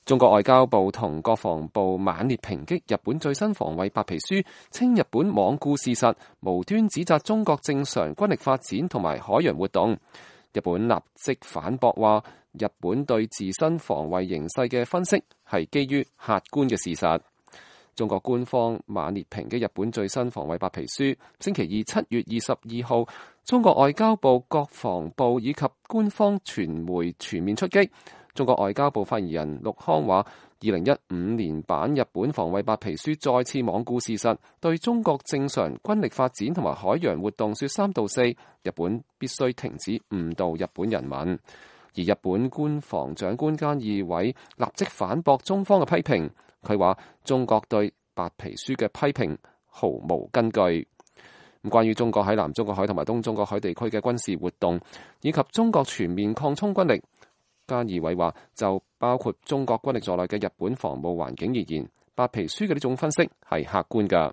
中國外交部同國防部猛烈抨擊日本最新防衛白皮書，稱日本罔顧事實，無端指責中國正常軍力發展同埋海洋活動。日本立即反駁話，日本對自身防衛形勢嘅分析係基於客觀嘅事實。中國官方猛烈抨擊日本最新防衛白皮書。星期二7月22號，中國外交部、國防部以及官方傳媒全面出擊。中國外交部發言人陸康話，2015年版日本防衛白皮書再次罔顧事實，對中國正常軍力發展同埋海洋活動說三道四，日本必須停止誤導日本人民。而日本官房長官菅義偉立即反駁中方嘅批評，佢話中國對白皮書嘅批評毫無根據。關於中國喺南中國海同埋東中國海地區嘅軍事活動，以及中國全面擴充軍力，菅義偉話就包括中國軍力在內嘅日本防務環境而言，白皮書嘅呢種分析係客觀㗎。